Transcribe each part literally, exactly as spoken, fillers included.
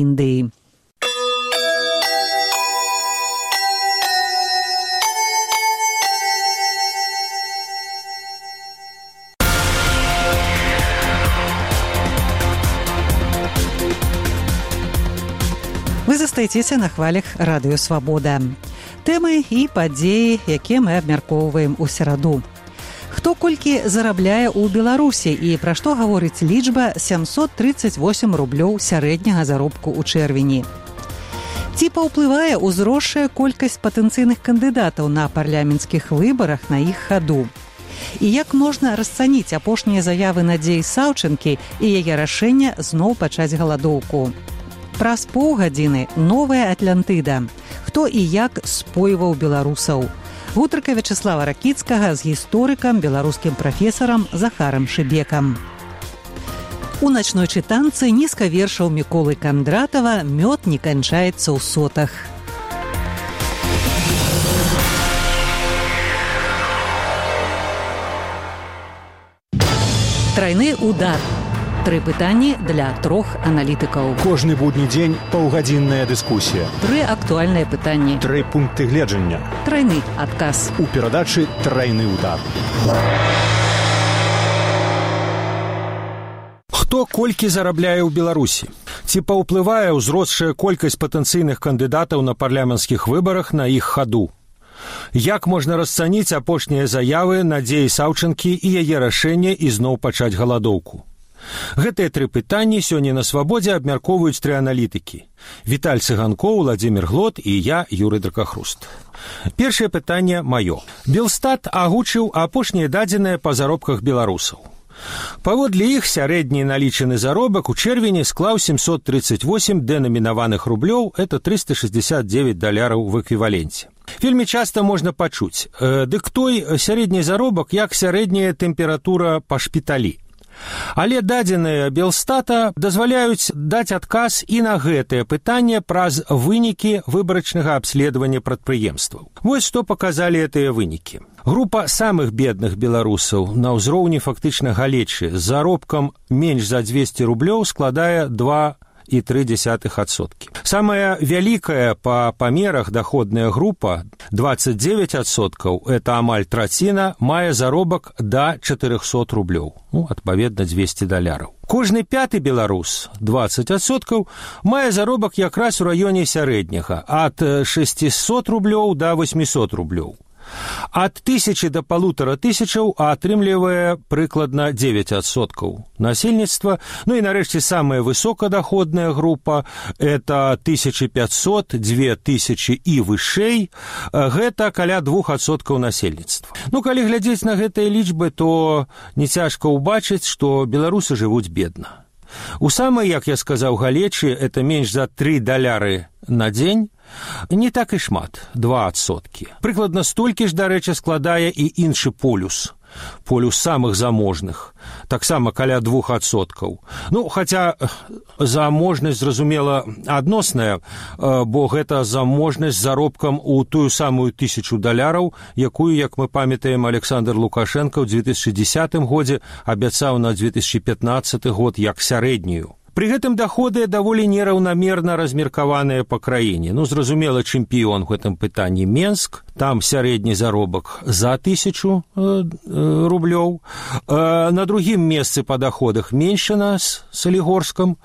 Індыі. Вы застаецеся на хвалях радыё «Свабода». Тэмы і падзеі, якія мы абмяркоўваем у сераду. Хто колькі зарабляе ў Беларусі і пра што гаворыць лічба сямсот трыццаць восем рублёў сярэдняга заробку ў чэрвені. Ці паўплывае ўзросшая колькасць патэнцыйных кандыдатаў на парламенцкіх выбарах на іх хаду? І як можна расцаніць апошнія заявы Надзеі Саўчэнкі і яе рашэнне зноў пачаць галадоўку? Праз паўгадзіны новая Атлантыда. Хто і як спойваў беларусаў? Гутарка Вячаслава Ракіцкага з гісторыкам, беларускім прафесарам Захарам Шыбекам. У начной чытанцы нізка вершаў Міколы Кандратава «Мёд не канчаецца ў сотах». Трайны удар. Тры пытанні для трох аналітыкаў. Кожны будні дзень паўгадзінная дыскусія. Тры актуальныя пытанні. Тры пункты гледжання. Трайны адказ. У перадачы «Трайны удар». Хто колькі зарабляе ў Беларусі? Ці паўплывае ўзросшая колькасць патэнцыйных кандыдатаў на парламенцкіх выбарах на іх хаду? Як можна расцаніць апошнія заявы Надзеі Саўчэнкі і яе рашэнне ізноў пачаць галадоўку? Гэтыя тры пытанні сёння на «Свабодзе» абмяркоўваюць тры аналітыкі. Віталь Цыганкоў, Владзімір Глот і я, Юрый Дракахруст. Першае пытанне маё. Белстат агучыў апошнія дадзеныя па заробках беларусаў. Паводле іх сярэдні налічаны заробак у чэрвені склаў семьсот тридцать восемь дэнамінаваных рублёў, это триста шестьдесят девять даляраў в эквіваленце. Вельмі часта можна пачуць, э, дык той сярэдні заробак як сярэдняя тэмпература па шпіталі. Але дадзеныя Белстата дазваляюць даць адказ і на гэтае пытанне праз вынікі выбарачнага абследавання прадпрыемстваў. Вось што паказалі гэтыя вынікі. Група самых бедных беларусаў на ўзроўні фактычна галечы з заробкам менш за двести рублёў складае два і тры дзесятых адсоткі. Самая вялікая па памерах даходная група, двадцать девять адсоткаў, это амаль траціна, мае заробак да чатырохсот рублёў, ну, адпаведна двести даляраў. Кожны пяты беларус, двадцать адсоткаў, мае заробак якраз у раёне сярэдняга, ад шестьсот рублёў да восьмисот рублёў. Ад тысячи до полутора тысячаў атрымлівае прыкладна девять адсоткаў насельніцтва. Ну і нарэшце самая высокадоходная група – это тысяча пятьсот, две тысячи і вышэй, гэта каля двух адсоткаў насельніцтва. Ну, калі глядзець на гэтыя лічбы, то не цяжка ўбачыць, што беларусы жывуць бедна. У самай, як я сказаў, галечы, это менш за тры даляры на дзень, не так і шмат, два адсоткі. Прыкладна столькі ж, дарэчы, складае і іншы полюс. Полюс самых заможных, таксама каля двух адсоткаў. Ну, хаця заможнасць, зразумела, адносная, бо гэта заможнасць з заробкам у тую самую тысячу даляраў, якую, як мы памятаем, Александр Лукашенко ў две тысячи десятым годзе абяцаў на две тысячи пятнадцаты год як сярэднюю. Пры гэтым даходы даволі нераўнамерна размеркаваныя па краіне. Ну, зразумела, чэмпіён в гэтым пытанні Менск, там сярэдні заробак за тысячу э, э, рублёў. Э, на другім месцы па даходах Меншчына з Салігорскам,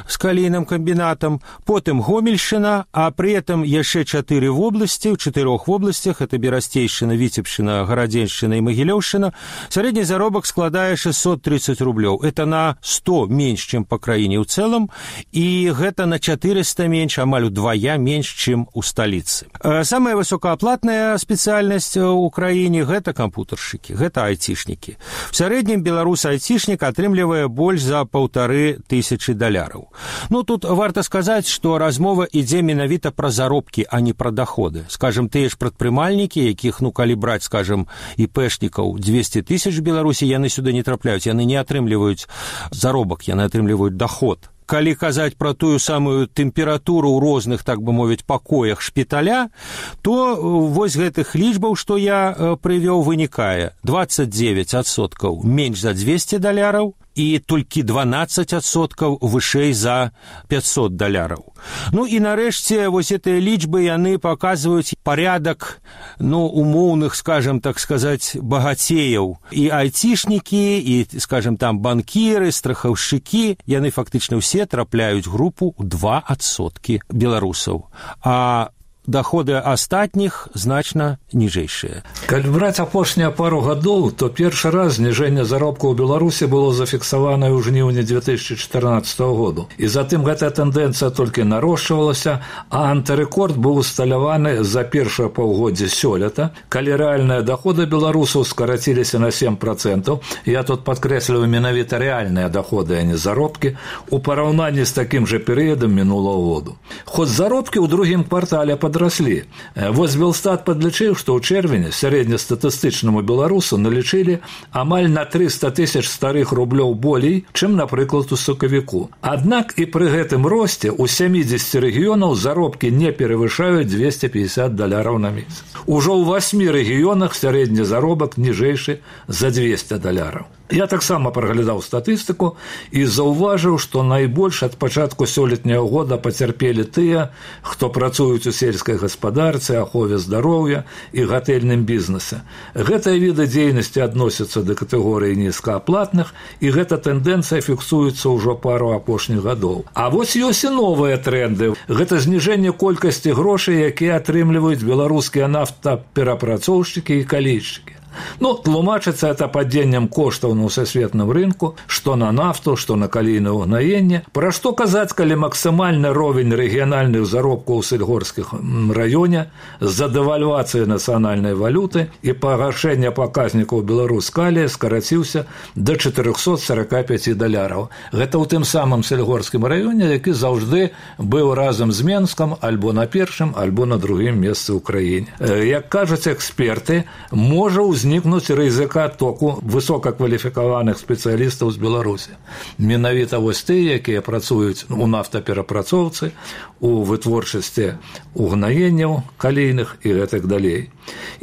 з калійным камбінатам, потым Гомельшчына, а пры этом яшчэ чатыры вобласці, ў чатырох вобласцях, это Берасцейшчына, Віцебшчына, Гарадзеншчына і Магілёўшчына, сярэдні заробак складае шестьсот тридцать рублёў. Это на сто менш, чым па краіне ў цэлым, і гэта на четыреста менш, амаль удвая менш, чым у сталіцы. Самая высокааплатная спецыяльнасць у краіне – гэта кампутаршчыкі, гэта айцішнікі. В сярэднім беларус айцішнік атрымлівае больш за паўтары тысячы даляраў. Ну, тут варта сказаць, што размова ідзе менавіта пра заробкі, а не пра даходы. Скажем, тыя ж прадпрымальнікі, якіх, ну, калі браць, скажем, іпэшнікаў двести тысяч в Беларусі, яны сюды не трапляюць, яны не атрымліваюць заробак, яны атрымліваюць даход. Калі казаць пра тую самую тэмпературу ў розных, так бы мовіць, пакоях шпіталя, то вось гэтых лічбаў, што я прывёў, вынікае двадцать девять адсоткаў менш за двести даляраў і толькі дванаццаць адсоткаў вышэй за пятьсот даляраў. Ну і нарэшце вось гэтыя лічбы яны паказваюць парядак, ну, умоўных, скажем, так сказаць, багацеяў. І айцішнікі, і, скажем, там банкіры, страхаўшчыкі, яны фактычна ўсе трапляюць групу ў два адсоткі беларусаў. А доходы астатніх значна ніжэйшыя. Калі браць апошнія пару гадоў, то першы раз зніжэнне заробку ў Беларусі было зафіксаванае ў жніўні две тысячи чатырнаццатага году. І затым гэтая тэндэнцыя толькі нарошчвалася, а антырэкорд быў усталяваны за першае паўгоддзе сёлета, калі рэальныя доходы беларусаў скараціліся на сем процентаў. Я тут падкрэсліваю менавіта рэальныя доходы, а не заробкі, у параўнанні з такім жа перыядам мінулага году. Хоць заробкі ў другім квартале падраслі. Вось Белстат падлічыў, што ў чэрвені сярэднестатыстычнаму беларусу налічылі амаль на трыста тысяч старых рублёў болей, чым, напрыклад, у сакавіку. Аднак і пры гэтым росце ў сямідзесяці рэгіёнаў заробкі не перавышаюць дзвесце пятьдесят даляраў на месяц. Ужо ў васьмі рэгіёнах сярэдні заробак ніжэйшы за двести даляраў. Я таксама праглядаў статыстыку і заўважыў, што найбольш ад пачатку сёлетняга года пацярпелі тыя, хто працуюць у сельскай гаспадарцы, ахове здароўя і гатэльным бізнесе. Гэтыя віды дзейнасці адносяцца да катэгорыі нізкааплатных, і гэта тэндэнцыя фіксуецца ўжо пару апошніх гадоў. А вось ёсць і новыя тренды. Гэта зніжэнне колькасці грошай, якія атрымліваюць беларускія нафтаперапрацоўшчыкі і калійшчыкі. Ну, тлумачыцца это падзеннем коштаў на ўсесветным рынку, што на нафту, што на калійнае ўгнаенне. Пра што казаць, калі максімальны ровень рэгіянальных заробкаў у сельгорскім раёне з-за дэвальвацыі нацыянальнай валюты і пагаршэння паказнікаў беларускалія скараціўся да чатырохсот сорока пяти даляраў. Гэта ў тым самым сельгорскім раёне, які заўжды быў разам з Менскам альбо на першым, альбо на другім месцы ў краіне. Як кажуць эксперты, можа узнікнуць рызыка току высокакваліфікаваных спецыялістаў з Беларусі. Менавіта вось тыя, якія працуюць у нафтаперапрацоўцы, у вытворчасці угнаенняў калійных і гэтак далей.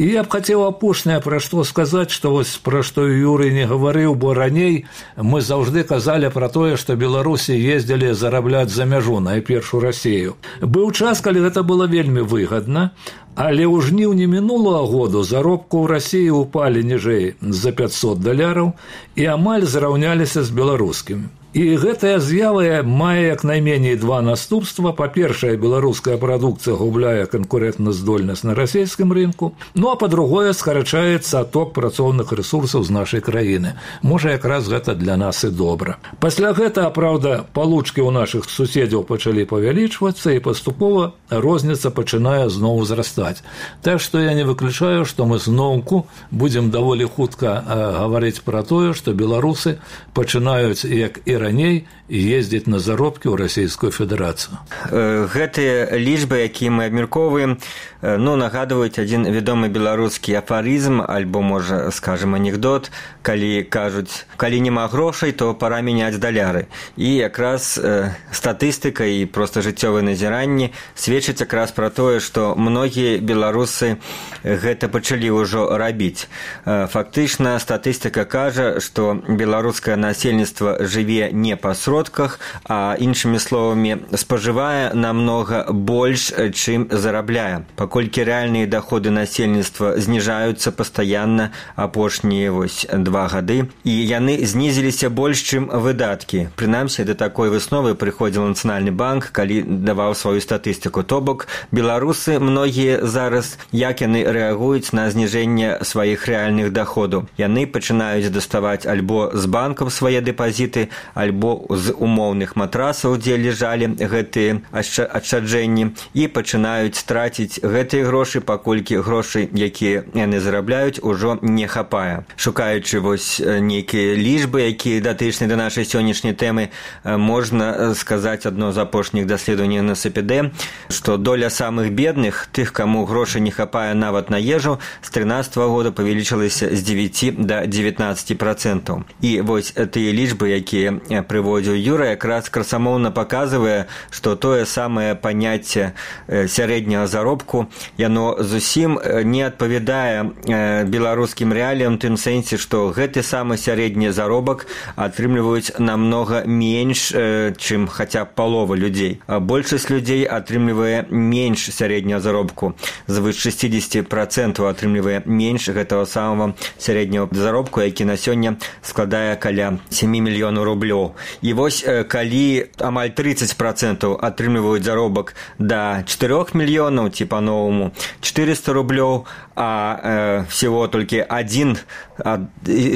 І я б хацеў апошняе пра што сказаць, што вось пра што Юрый не гаварыў, бо раней мы заўжды казалі пра тое, што беларусы ездзілі зарабляць за мяжу, найперш у Расію. Быў час, калі гэта было вельмі выгадна, але ў жніўні мінулага году заробку ў Расіі упалі ніжэй за пятьсот даляраў і амаль зраўняліся з беларускімі. І гэтая з'ява мае як найменей два наступства. Па-першае, беларуская прадукцыя губляе канкурэнтназдольнасць на расійскім рынку, ну а па-другое, скарачаецца адток працоўных рэсурсаў з нашай краіны. Можа, якраз гэта для нас і добра. Пасля гэтага, праўда, палучкі ў нашых суседзяў пачалі павялічвацца, і паступова розніца пачынае зноў узрастаць. Так што я не выключаю, што мы зноўку будзем даволі хутка гаварыць пра тое, што беларусы пачынаюць, як і раней, ездзіць на заробкі ў Расійскую Федэрацыю. Гэтыя лічбы, якія мы абмяркоўваем, ну, нагадваюць адзін вядомы беларускі афарызм, альбо, можа, скажем, анекдот, калі кажуць, калі няма грошай, то пара мяняць даляры. І якраз э, статыстыка і проста жыццёвыя назіранні сведчаць якраз пра тое, што многія беларусы гэта пачалі ўжо рабіць. Э, фактычна, статыстыка кажа, што беларускае насельніцтва жыве не па сродках, а іншымі словамі спажывае намнога больш, чым зарабляе. Паколькі рэальныя даходы насельніцтва зніжаюцца пастаянна апошнія вось два гады, і яны знізіліся больш, чым выдаткі. Прынамсі, да такой высновы прыходзіў Нацыянальны банк, калі даваў сваю статыстыку. То бок, беларусы многія зараз, як яны рэагуюць на зніжэнне сваіх рэальных даходаў. Яны пачынаюць даставаць альбо з банкаў свае дэпазіты, альбо з умоўных матрасаў, дзе ляжалі гэтыя адшчаджэнні, і пачынаюць траціць гэтыя грошы, паколькі грошай, якія яны зарабляюць, ужо не хапае. Шукаючы вось нейкія лічбы, якія датычныя да нашай сённяшняй тэмы, можна сказаць адно з апошніх даследаванняў на СПД, што доля самых бедных, тых, каму грошай не хапае нават на ежу, з трынаццатага года павялічылася з дзевяці да дзевятнаццаці процентаў. І вось тыя лічбы, якія прыводзіў Юра, якраз красамоўна паказвае, што тое самае паняцце сярэдняга заробку, яно зусім не адпавядае беларускім рэаліям, тым сэнсе, што гэты самы сярэдні заробак атрымліваюць намнога менш, чым хаця б палова людзей. Большасць людзей атрымлівае менш сярэдняга заробку. Звыш шэсцьдзесят процентаў атрымлівае менш гэтага самого сярэдняга заробку, які на сёння складае каля сем мільёнаў рублёў. І вось калі амаль тридцать процентаў атрымліваюць заробак да чатырох мільёнаў, ці па-новаму четыреста рублёў, а э, всего толькі один цэлых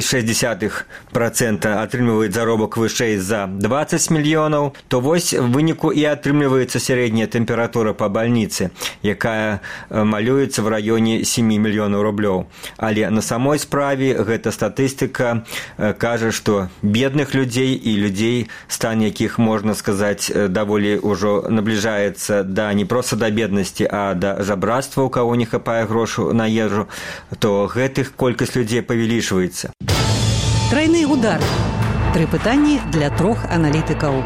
шэсць дзесятых процента атрымліваюць заробак вышэй за двадцать мільёнаў, то вось в выніку і атрымліваецца сярэдняя тэмпература па бальніцы, якая малюецца в раёне сем мільёнаў рублёў. Але на самой справе гэта статыстыка кажа, што бедных людзей і людзей, стан якіх, можна сказаць, даволі ўжо набліжаецца да не проста да беднасці, а да жабрацтва, у каго не хапае грошу на ежу, то гэтых колькасць людзей павялічваецца. Трайны удар. Тры пытанні для трох аналітыкаў.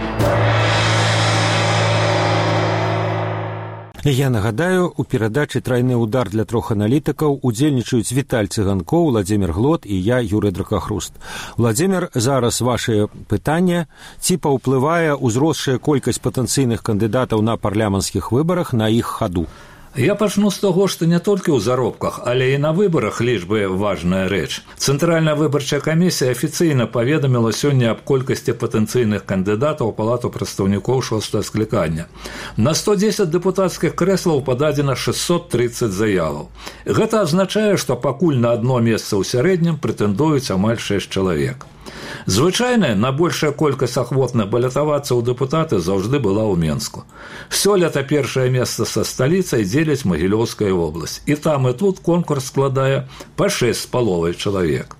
Я нагадаю, у перадачы «Трайны удар» для трох аналітыкаў удзельнічаюць Віталь Цыганкоў, Владзімір Глот і я, Юрый Дракахруст. Владзімір, зараз вашыя пытанне. Ці паўплывае ўзросшая колькасць патэнцыйных кандыдатаў на парламенцкіх выбарах на іх хаду? Я пачну з таго, што не толькі ў заробках, але і на выбарах лічбы важная рэч. Цэнтральная выбарчая камісія афіцыйна паведаміла сёння аб колькасці патэнцыйных кандыдатаў у палату прадстаўнікоў шостага склікання. На сто дзесяць дэпутацкіх крэслаў пададзена шэсцьсот трыццаць заяваў. Гэта азначае, што пакуль на адно месца ў сярэднім прэтэндуюць амаль шэсць чалавек. Звычайна, найбольшая колькасць ахвотных балятавацца ў дэпутаты заўжды была ў Менску. Сёлета першае месца са сталіцай дзеляць Магілёўская вобласць. І там, і тут конкурс складае па шэсць з паловай чалавек.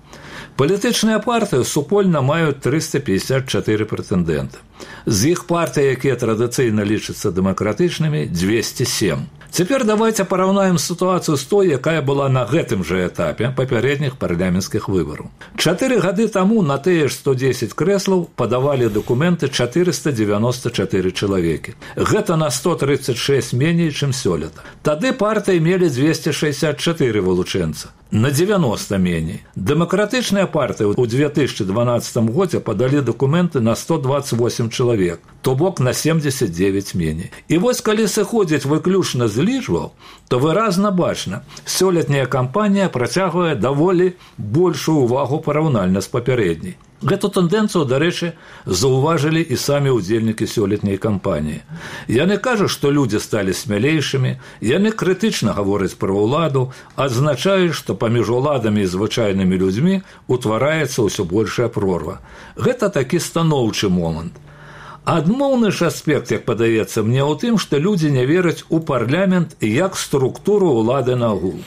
Палітычныя партыі супольна маюць трыста пятьдесят чатыры прэтэндэнты. З іх партый, якія традыцыйна лічацца дэмакратычнымі, двести семь. Цяпер давайте параўнаем сітуацыю з той, якая была на гэтым жа этапе папярэдніх парламенцкіх выбараў. Чатыры гады таму на тыя ж сто дзесяць крэслаў падавалі дакументы четыреста девяносто четыре чалавекі. Гэта на сто тридцать шесть меней, чым сёлета. Тады партыі мелі двести шестьдесят четыре вылучэнца. На девяносто меней. Дэмакратычныя партыі ў две тысячи дванадцатым годзе падалі дакументы на сто двадцать восемь чалавек, то бок на семьдесят девять меней. І вось калі сыходзіць выключна з лічбаў, то выразна бачна, сёлетняя кампанія працягвае даволі большую увагу параўнальна з папярэдняй. Гэту тэндэнцыю, дарэчы, заўважылі і самі ўдзельнікі сёлетняй кампаніі. Яны кажуць, што людзі сталі смялейшымі, яны крытычна гавораць пра ўладу, адзначаюць, што паміж уладамі і звычайнымі людзьмі утвараецца ўсё большая прорва. Гэта такі станоўчы момант. Адмоўны ж аспект, як падаецца мне, у тым, што людзі не вераць у парламент як структуру ўлады нагул.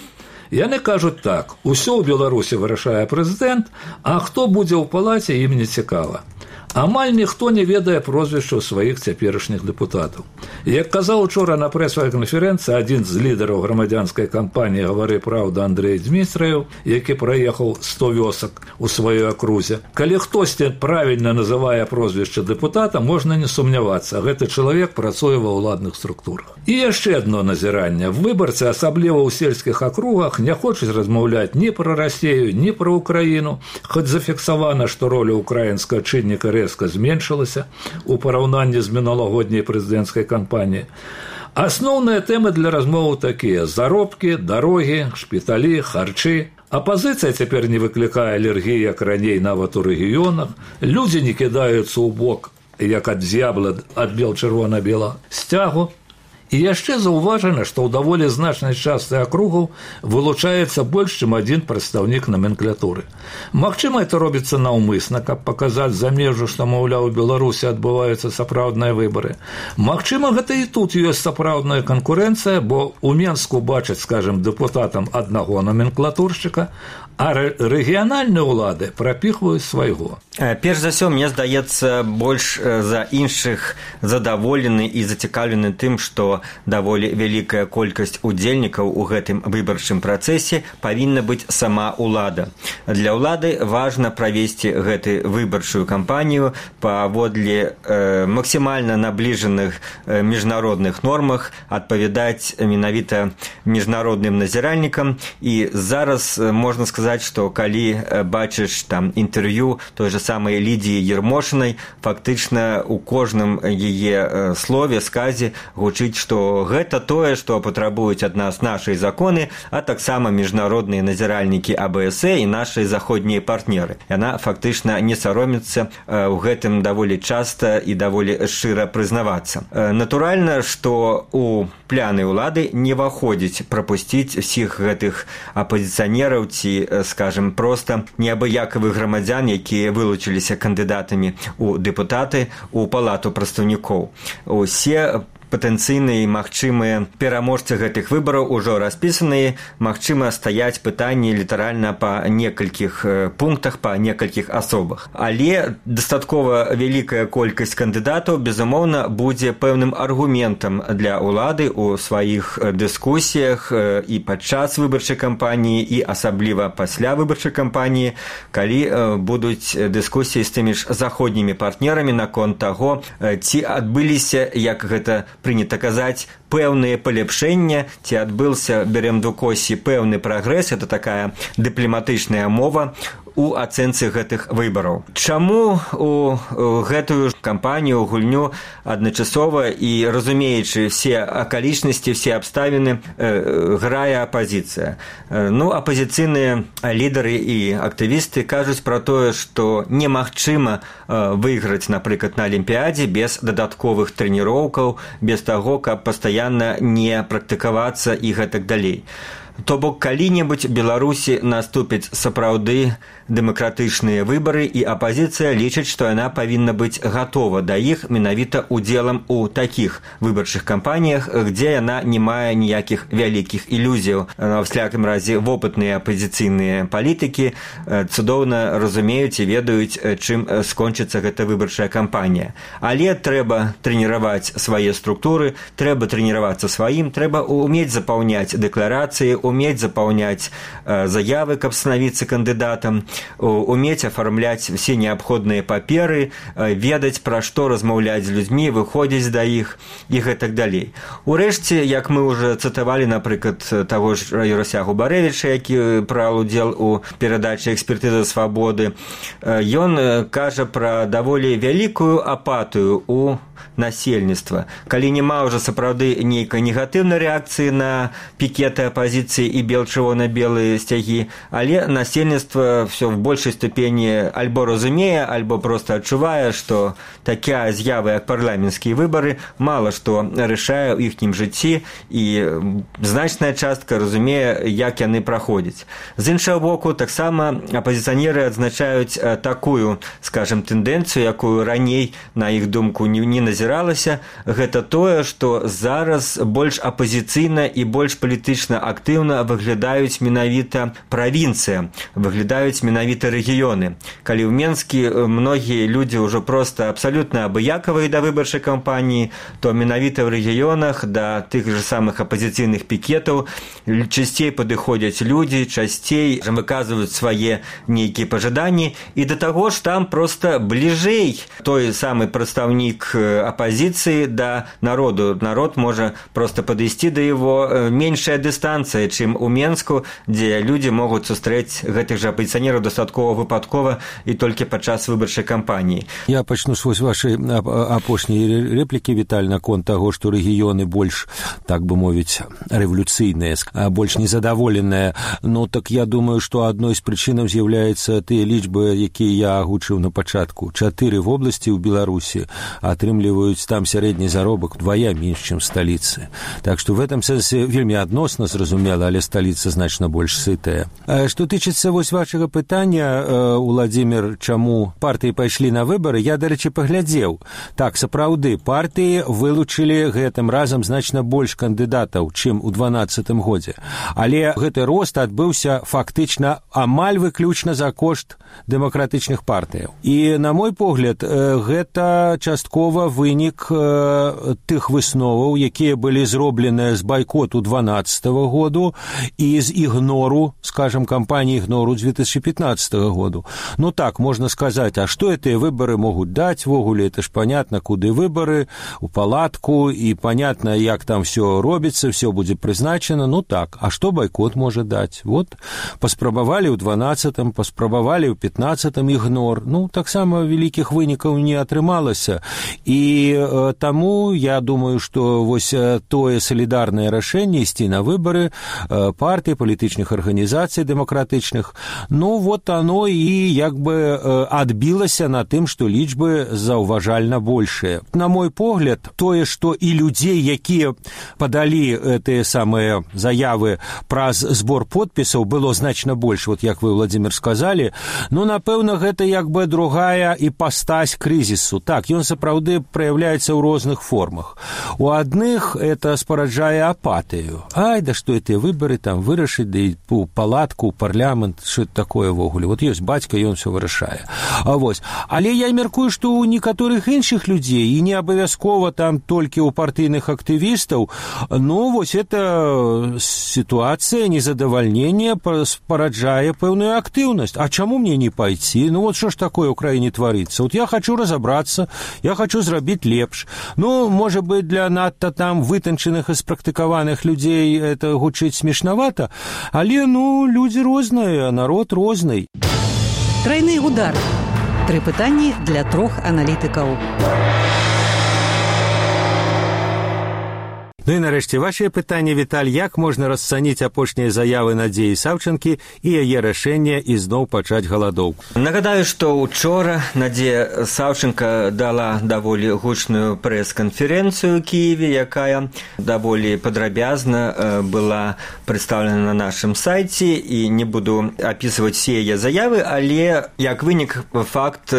Яны кажуць так, усё ў Беларусі вырашае прэзідэнт, а хто будзе ў палаце, ім не цікава. Амаль ніхто не ведае прозвішчаў сваіх цяперашніх дэпутатаў. Як казаў учора на прэсавай канферэнцыі адзін з лідараў грамадзянскай кампаніі «Гавары праўда» Андрэй Дзмітрыеў, які праехаў сто вёсак у сваёй акрузе, калі хтосьці правільна называе прозвішча дэпутата, можна не сумнявацца, гэты чалавек працуе ва ўладных структурах. І яшчэ адно назіранне. Выбарцы, асабліва ў сельскіх акругах, не хочуць размаўляць ні пра Расію, ні пра Украіну, хоць зафіксавана, што роля украінскага чынніка рэзка зменшылася у параўнанні з мінулагодняй прэзідэнцкай кампаніяй. Асноўныя тэмы для размоваў такія: заробкі, дарогі, шпіталі, харчы. Апазіцыя цяпер не выклікае алергіі, як раней нават у рэгіёнах. Людзі не кідаюцца ў бок, як ад з'ябла ад бел-чырвона-бела сцягу. І яшчэ заўважана, што ў даволі значнай частцы акругаў вылучаецца больш, чым адзін прадстаўнік наменклатуры. Магчыма, это робіцца наўмысна, каб паказаць за межу, што, маўляў, у Беларусі адбываюцца сапраўдныя выбары. Магчыма, гэта і тут ёсць сапраўдная канкурэнцыя, бо ў Менску бачаць, скажем, дэпутатам аднаго наменклатуршчыка, а рэгіянальныя ўлады прапіхваюць свайго. Перш за ўсё, мне здаецца, больш за іншых задаволены і зацікаўлены тым, што даволі вялікая колькасць удзельнікаў у гэтым выбарчым працэсе павінна быць сама ўлада. Для ўлады важна правесці гэты выбарчую кампанію паводле э, максімальна набліжаных э, міжнародных нормах, адпавядаць менавіта міжнародным назіральнікам. І зараз можна сказаць, што калі бачыш там інтэрв'ю той же самой Лідіі Ермошынай, фактычна у кожным яе слове, сказе гучыць, што гэта тое, што патрабуюць ад нас нашыя законы, а таксама міжнародныя назіральнікі А Бэ Эс Э і нашыя заходнія партнеры. Яна фактычна не саромецца ў гэтым даволі часта і даволі шчыра прызнавацца. Натуральна, што у пляны ўлады не ўваходзіць прапусціць усіх гэтых апазіцыянераў ці, скажем, проста неабыякавых грамадзян, якія вылучыліся кандыдатамі ў дэпутаты ў палату прадстаўнікоў. Усе патэнцыйныя і магчымыя пераможцы гэтых выбараў ужо распісаныя, магчыма стаяць пытанні літаральна па некалькіх пунктах, па некалькіх асобах. Але дастаткова вялікая колькасць кандыдатаў, безумоўна, будзе пэўным аргументам для ўлады ў сваіх дыскусіях і падчас выбарчай кампаніі, і асабліва пасля выбарчай кампаніі, калі будуць дыскусіі з тымі ж заходнімі партнерамі наконт таго, ці адбыліся, як гэта прынята казаць, пэўныя паляпшэння, ці адбыўся, бярем до косі, пэўны прагрэс, это такая дыпламатычная мова у ацэнцы гэтых выбараў. Чаму у гэтую кампанію, гульню адначасова і разумеючы все акалічнасці, все абставіны, грае апазіцыя? Ну, апазіцыйныя лідары і актывісты кажуць пра тое, што немагчыма выйграць, напрыклад, на Алімпіядзе без дадатковых трэніроўкаў, без таго, каб пастаянна не практыкавацца і гэтак далей. То бок, калі-небудзь Беларусі наступяць сапраўды дэмакратычныя выбары, і апазіцыя лічыць, што яна павінна быць гатова да іх менавіта удзелам у такіх выбарчых кампаніях, дзе яна не мае ніякіх вялікіх ілюзіяў. Ва ўсякім разе вопытныя апазіцыйныя палітыкі цудоўна разумеюць і ведаюць, чым скончыцца гэта выбарчая кампанія. Але трэба трэніраваць свае структуры, трэба трэніравацца сваім, трэба умець запаўняць дэкларацыі, умець запаўняць заявы, каб станавіцца кандыдатам, умець афармляць все неабходныя паперы, ведаць, пра што размаўляць з людзьмі, выходзіць да іх і гэтак далей. Урэшце, як мы ўжо цытавалі, напрыклад, таго ж Юрасягу Барэвіча, які браў удзел у перадачы «Экспертыза свабоды», ён кажа пра даволі вялікую апатыю у насельніцтва. Калі няма ўжо сапраўды нейкай негатыўнай рэакцыі на пікеты апазіцыі і бел-чырвона-белыя сцягі, але насельніцтва все в большай ступені альбо разумее, альбо проста адчувае, што такая з'ява, як парламенцкія выбары, мала што рашае ў іхнім жыцці, і значная частка разумее, як яны праходзяць. З іншага боку, таксама апазіцыянеры адзначаюць такую, скажем, тэндэнцыю, якую раней, на іх думку, не назіралася, гэта тое, што зараз больш апазіцыйна і больш палітычна актыўна выглядаюць менавіта правінцыя, выглядаюць менавіта рэгіёны. Калі ў Менскі многія людзі ўжо проста абсалютна абыякавыя да выбарчай кампаніі, то менавіта ў рэгіёнах да тых же самых апазіцыйных пікетаў часцей падыходзяць людзі, часцей выказваюць свае нейкія пажаданні, і да таго ж там проста бліжэй той самы прадстаўнік апозиции до народу. Народ может просто подойти до его меньшая дистанция, чем у Менску, где люди могут сустрэць гэтых же апозиционеров дастаткова выпадкова и только падчас выбарчай кампании. Я пачну с вашей апошняй реплики, Виталь, наконт того, что регионы больше, так бы мовить, революційныя, больше незадаволеныя. Ну, так я думаю, что одной з прычынаў з'яўляецца тыя лічбы, якія я агучыў на пачатку. Чатыры вобласці ў Беларусі атрымліваюць там сярэдні заробак вдвая менш, чым сталіцы. Так што в этом сэнсе вельмі адносна, зразумела, стала, але сталіца значна больш сытая. Што тычыцца вось вашага пытання, Уладзімір, чаму партыі пайшлі на выбары, я, дарэчы, паглядзеў. Так, сапраўды, партыі вылучылі гэтым разам значна больш кандыдатаў, чым у дванаццатым годзе. Але гэты рост адбыўся фактычна амаль выключна за кошт дэмакратычных партыяў. І, на мой погляд, гэта часткова вынік тых высноваў, якія былі зробленыя з байкоту дванаццатага году і з ігнору, скажем, кампаніі ігнору две тысячи пятнадцатого году. Ну так, можно сказать, а что эти выборы могут дать? Вогуле, это ж понятно, куды выборы, у палатку, и понятно, як там все робится, все будет призначено. Ну так, а что бойкот может дать? Вот, паспрабавалі ў дванаццатым, паспрабавалі ў пятнаццатым ігнор. Ну, так само великих вынікаў не атрымалася. И э, тому, я думаю, что вось тое солидарное рашэнне ісці на выборы э, партий, палітычных арганізацый дэмакратычных, ну, вот оно и як бы э, адбілася на тым, што лічбы заўважальна большыя. На мой погляд, тое, што і людзей, якія падалі гэтыя самыя заявы праз збор подпісаў, было значна больш, вот як вы, Владимир, сказали, ну, напэўна, гэта як бы другая іпастась крызісу. Так, ён сапраўды праяўляецца ў розных формах. У адных это спараджае апатыю. Ай, да што эти выборы там вырашыць, да і у палатку, у парламент, што это такое вогуле. Вот ёсць бацька, ён все вырашае. А вось. Але я мяркую, што ў некаторых іншых людзей, і не абавязкова там толькі ў партыйных актывістаў, ну, вось это ситуация незадавальнения спараджае пэўную актыўнасць. А чаму мне не пойти? Ну, вот что ж такое ў краіне творится? Вот я хочу разобраться, я хочу зрабіць лепш. Ну, может быть, для надта там вытанчаных и спрактыкаваных людей это гучыць смешновато, але, ну, люди розныя, народ розный. Тройны удар. Тры пытанні для трох аналітыкаў. Ну і нарэшце вашае пытанне, Віталь, як можна расцаніць апошнія заявы Надзеі Саўчанкі і яе рашэнне ізноў пачаць галадоўку? Нагадаю, што учора Надзея Саўчанка дала даволі гучную прэс-канферэнцыю ў Кіеве, якая даволі падрабязна была прадстаўлена на нашым сайце, і не буду апісваць все яе заявы, але як вынік факт,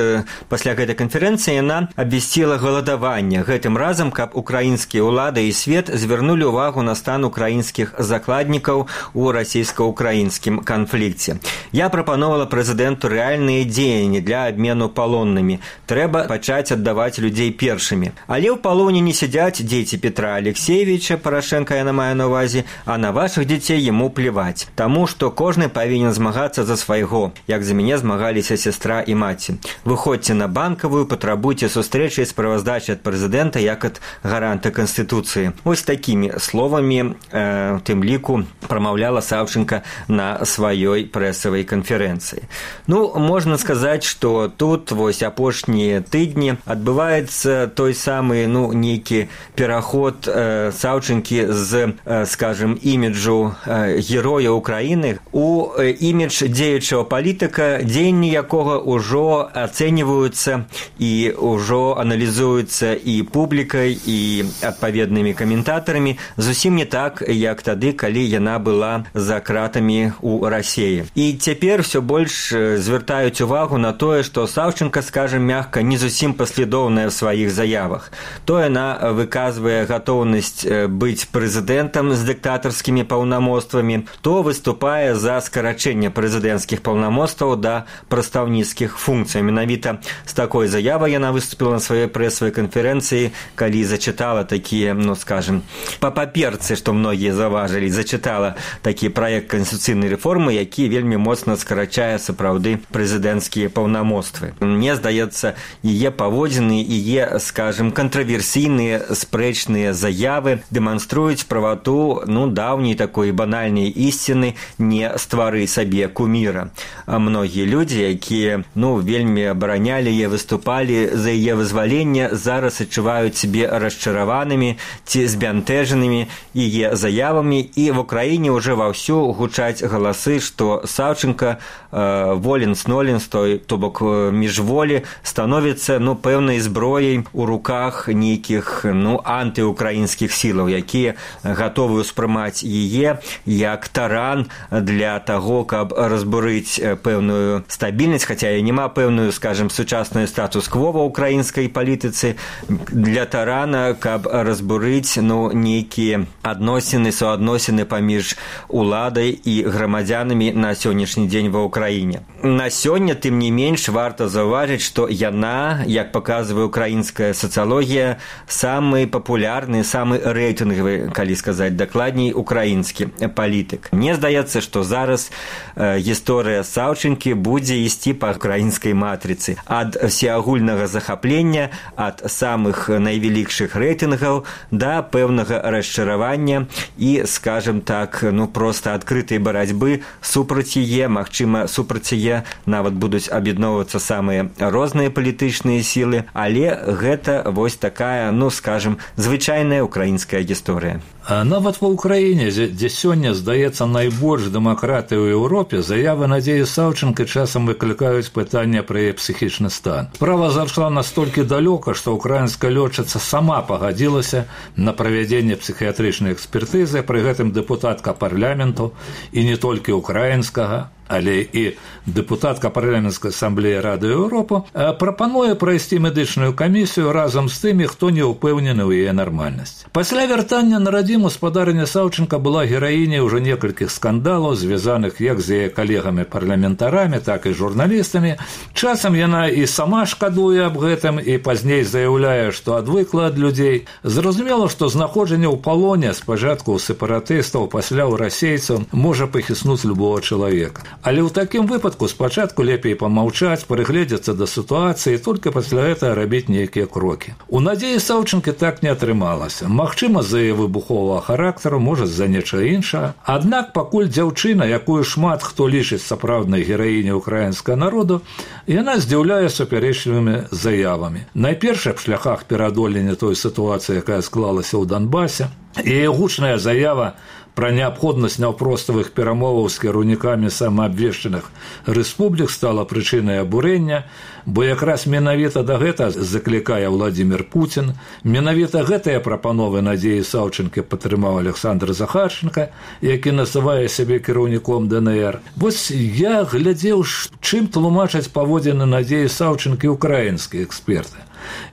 пасля гэтай канферэнцыі яна абвясціла галадаванне, гэтым разам, каб украінскія ўлады і свет звярнулі ўвагу на стан украінскіх закладнікаў у расійска-украінскім канфлікце. Я прапановала прэзідэнту рэальныя дзеянні для абмену палоннымі. Трэба пачаць аддаваць людзей першымі. Але ў палоне не сядзяць дзеці Петра Алексеевича, Парашенка яна мае на ўвазе, а на вашых дзяцей яму плеваць. Таму, што кожны павінен змагацца за свайго, як за мяне змагаліся сястра і маці. Выходзьце на Банкавую, патрабуйце сустрэчы і справаздачы ад прэзідэнта як ад гаранта Канстытуцыі. Вось такімі словамі, э, тым ліку, прамаўляла Саўчанка на сваёй прэсавай канферэнцыі. Ну, можна сказаць, што тут вось апошнія тыдні адбываецца той самы, ну, нейкі пераход э, Саўчанкі з, э, скажем, іміджу э, героя Украіны у э, імідж дзеючага палітыка, дзеянні якога ўжо ацэньваюцца і ўжо аналізуюцца і публікай, і адпаведнымі каментарамі, зусім не так, як тады, калі яна была за кратамі ў Расіі. І цяпер все больш звяртаюць увагу на тое, што Саўчанка, скажем мягка, не зусім паслядоўная ў сваіх заявах. То яна выказвае гатоўнасць быць прэзідэнтам з дыктатарскімі паўнамоцтвамі, то выступае за скарачэнне прэзідэнцкіх паўнамоцтваў да прадстаўніцкіх функцый. Менавіта з такой заявай яна выступила на сваёй прэсавай канферэнцыі, калі зачытала такія, ну, скажем, па паперцы, што многія заважылі, зачытала такі праект канстытуцыйнай рэформы, які вельмі моцна скарачае сапраўды прэзідэнцкія паўнамоцтвы. Мне здаецца, яе паводзіны, яе, скажем, кантраверсійныя спрэчныя заявы дэманструюць правату, ну, даўняй такой банальнай ісціны «не ствары сабе куміра». А многія людзі, якія, ну, вельмі абаранялі яе, выступалі за яе вызваленне, зараз адчуваюць сябе расчараванымі ці збянтэжанымі яе заявамі, і в Украіне ўжо ваўсю гучаць галасы, што Саўчанка э, воленс-ноленс, то бок міжволі, становіцца, ну, пэўнай зброяй у руках нейкіх, ну, антыукраінскіх сілаў, якія гатовы ўспрымаць яе як таран для таго, каб разбурыць пэўную стабільнасць, хаця і няма пэўную, скажем, сучасную статус-кво ва ўкраінскай палітыцы, для тарана, каб разбурыць, ну, нейкія адносіны, суадносіны паміж уладай і грамадзянамі на сённяшні дзень ва ўкраіне. На сёння, тым не менш, варта заўважыць, што яна, як паказвае украінская сацыялогія, самы папулярны, самы рэйтынгавы, калі сказаць дакладней, украінскі палітык. Мне здаецца, што зараз э, гісторыя Саўчынкі будзе ісці па украінскай матрыцы. Ад всеагульнага захаплення, ад самых найвялікшых рэйтынгаў да пэўнага расчаравання і, скажем так, ну, проста адкрытай барацьбы супраць яе, магчыма, супраць яе нават будуць аб'ядноўвацца самыя розныя палітычныя сілы, але гэта вось такая, ну, скажем, звычайная украінская гісторыя. А нават ва ўкраіне, дзе сёння, здаецца, найбольш дэмакратыі ў Еўропе, заявы Надзеі Саўчынка часам выклікаюць пытанне пра яе псіхічны стан. Справа зайшла настолькі далёка, што ўкраінская лётчыца сама пагадзілася на правядзенне псіхіятрычнай экспертызы, пры гэтым дэпутатка парламенту, і не толькі украінскага, але і дэпутатка парламенцкай асамблеі Рады Еўропы прапануе прайсці медычную камісію разам з тымі, хто не ўпэўнены ў яе нармальнасці. Пасля вяртання на радзіму спадарыня Саўчынка была гераіняй ужо некалькіх скандалаў, звязаных як з яе калегамі-парламентарамі, так і журналістамі. Часам яна і сама шкадуе аб гэтым, і пазней заяўляе, што адвыкла ад людзей. Зразумела, што знаходжанне ў палоне спачатку ў сепаратыстаў, пасля ў расейцаў можа пахіснуць любого чалавека. Але ў такім выпадку спачатку лепей памаўчаць, прыгледзецца да сітуацыі, толькі пасля гэтага рабіць нейкія крокі. У Надзеі Саўчынкі так не атрымалася. Магчыма, з-за яе выбуховага характару, можа, з-за нечага іншага. Аднак пакуль дзяўчына, якую шмат хто лічыць сапраўднай гераіняй украінскага народу, яна здзіўляе супярэчлівымі заявамі. Найперш аб шляхах пераадолення той сітуацыі, якая склалася ў Донбасе. Яе гучная заява пра неабходнасць наўпроставых перамоваў з кіраўнікамі самаабвешчаных рэспублік стала прычынай абурэння, бо якраз менавіта да гэта заклікае Владзімір Пуцін. Менавіта гэтыя прапановы Надзеі Саўчынкі падтрымаў Александр Захарченка, які называе сябе кіраўніком ДНР. Вось я глядзеў, чым тлумачаць паводзіны Надзеі Саўчынкі украінскія эксперты.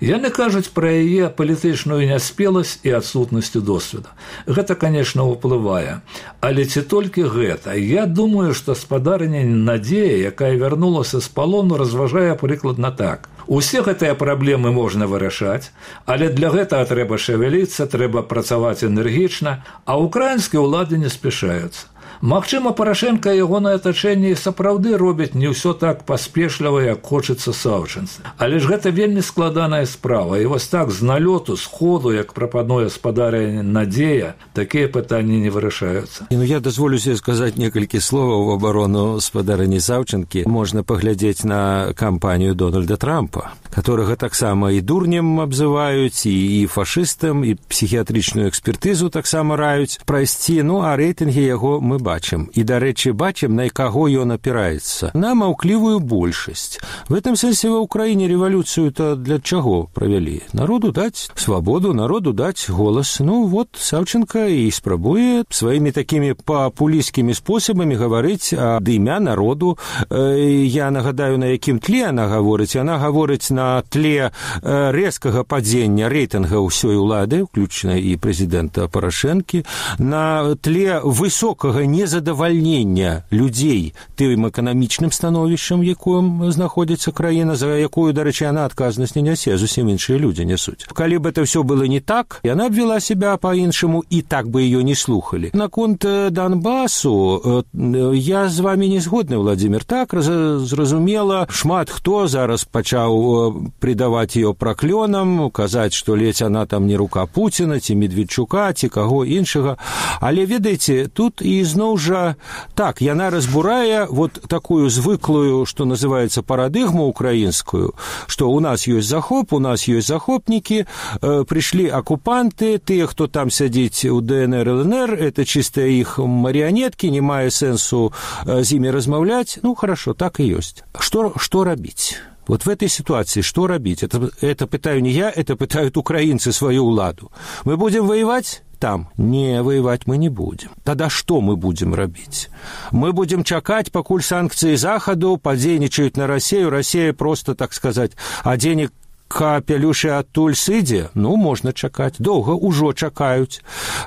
Яны кажуць пра яе палітычную няспеласць і адсутнасць досведу. Гэта, канешне, ўплывае. Але ці толькі гэта? Я думаю, што спадарыня Надзея, якая вярнулася з палону, разважае прыкладна так. Усе гэтыя праблемы можна вырашаць, але для гэтага трэба шавяліцца, трэба працаваць энергічна, а ўкраінскія ўлады не спяшаюцца. Магчыма, Парашенка і ягонае атачэнне сапраўды робяць не ўсё так паспешліва, як хочацца Саўчынцы. Але ж гэта вельмі складаная справа. І вось так з налёту, з ходу, як прапануе спадарыня Надзея, такія пытанні не вырашаюцца. Ну, я дазволю себе сказаць некалькі словаў в абарону спадарыні Саўчынкі. Можна паглядзець на кампанію Дональда Трампа, которага таксама і дурнем абзываюць, і, і фашыстам, і псіхіятрычную экспертызу таксама раюць прайсці. Ну, а рэйтынгі яго мы бачым. І, дарэчы, бачым, на каго ён апіраецца. На маўклівую большасць. В этом сэнсе ва ўкраіне рэвалюцыю-то для чаго правялі? Народу даць свабоду, народу даць голас. Ну, вот, Саўчынка і спрабуе сваімі такімі папулісцкімі спосабамі гаварыць ад імя народу. Я нагадаю, на якім тле яна гаворыць. Яна гаворыць на тле рэзкага падзення рэйтынга ўсёй улады, уключна і прэзідэнта Парашэнкі, на тле высокага незадавальнення людзей тым эканамічным становішчам, якім знаходзіцца краіна, за якую, дарэчы, яна адказнасць не нясе, зусім іншыя людзі нясуць. Калі б это ўсё было не так, яна б вела себя па-іншаму, і так бы ее не слухали. Наконт Донбасу я з вами не згодны, Владзімір. Так, зразумела, шмат хто зараз пачаў придаваць ее праклёнам, казаць, што ледзь она там не рука Пуціна, ці Медведчука, ці каго іншага. Але, ведаеце, тут і зноў жа, так, яна разбурае вот такую звыклую, што называецца, парадыгму украінскую, што у нас ёсць захоп, у нас ёсць захопнікі, э, прыйшлі акупанты, тыя, хто там сядзіць у ДНР, ЛНР, это чыстыя іх марыянеткі, не мае сэнсу э, з імі размаўляць. Ну, хорошо, так і ёсць. Што, што рабіць? Вот в этой ситуации что робить? Это, это пытаю не я, это пытают украинцы свою ўладу. Мы будем воевать? Там. Не, воевать мы не будем. Тогда что мы будем робить? Мы будем чакать, покуль санкции Заходу подзейничают на Россию. Россия просто, так сказать, а денег капелюшы адтуль сыдзе, ну, можна чакаць. Доўга ўжо чакаюць.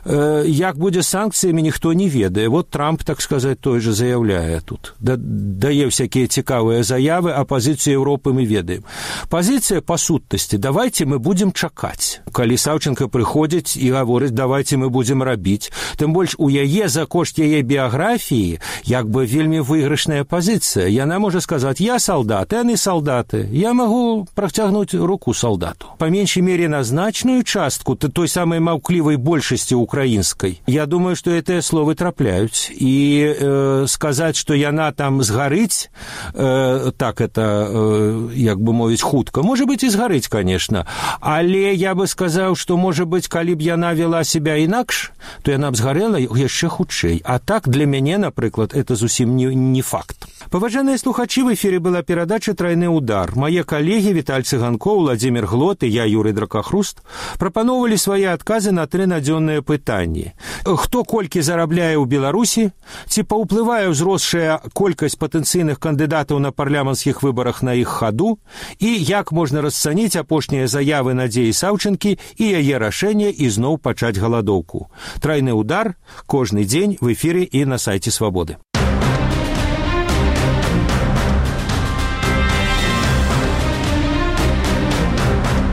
Э, як будзе з санкцыямі, ніхто не ведае. Вот Трамп, так сказаць, той же заяўляе тут. Да, дае всякие цікавыя заявы, а пазіцыю Европы мы ведаем. Пазіцыя па сутнасці. Давайте мы будем чакаць. Калі Саўченко прыходзіць і гаворыць, давайте мы будем рабіць. Тым больш у яе за кошт яе біяграфіі як бы вельмі выйгрышная пазіцыя. Яна можа сказаць, я салдат, яны салдаты. Я магу працягнуць руку солдату. По меньшей мере на значную частку той самой маўклівай большасці украинской. Я думаю, что это словы трапляюць. И э, сказать, что яна там сгарыць, э, так это, э, як бы мовіць, хутка. Может быть, и сгарыць, конечно. Але я бы сказал, что, может быть, калі б яна вела себя інакш, то яна б сгарэла яшчэ хутчэй. А так, для мяне, напрыклад, это зусім не, не факт. Паважаныя слухачы, в эфире была перадача «Тройны удар». Мае калегі Віталь Цыганкоў, Владимир Глот и я, Юрий Дракахруст, прапановали свои отказы на три надзённыя пытанні. Хто колькі зарабляе ў Беларусі, ці паўплывае ўзросшая колькасць патэнцыйных кандыдатаў на парламенцкіх выбарах на іх хаду, і як можна расцаніць апошнія заявы Надзеі Саўчэнкі і яе рашэнне ізноў пачаць галадоўку. «Тройны удар» кожны дзень в эфире и на сайте «Свободы».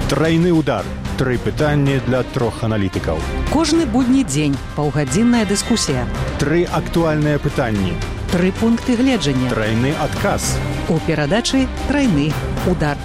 Тройны удар. Тры пытанні для трох аналітыкаў. Кожны будні дзень паўгадзінная дыскусія. Тры актуальныя пытанні. Тры пункты гледжання. Тройны адказ. У перадачы «Тройны удар».